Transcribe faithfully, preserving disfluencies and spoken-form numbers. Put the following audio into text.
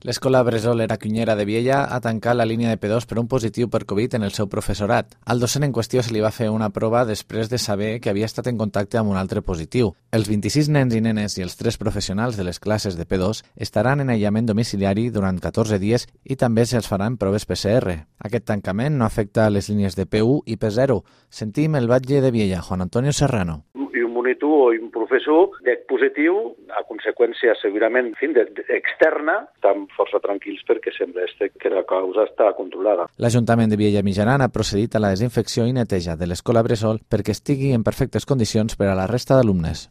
L'escola Bressol Era Cunyera de Viella ha tancat la línia de P dos per un positiu per Covid en el seu professorat. Al docent en qüestió se li va fer una prova després de saber que havia estat en contacte amb un altre positiu. Els vint-i-sis nens i nenes i els tres professionals de les classes de P dos estaran en aïllament domiciliari durant catorze dies i també se'ls faran proves P C R. Aquest tancament no afecta les línies de P u i P zero. Sentim el batlle de Viella, Juan Antonio Serrano. I un monitor o un professor de positiu, a conseqüència segurament en fi, de, de, externa, estan força tranquils perquè sembla que la causa està controlada. L'Ajuntament de Viella Mitjaran ha procedit a la desinfecció i neteja de l'escola Bressol perquè estigui en perfectes condicions per a la resta d'alumnes.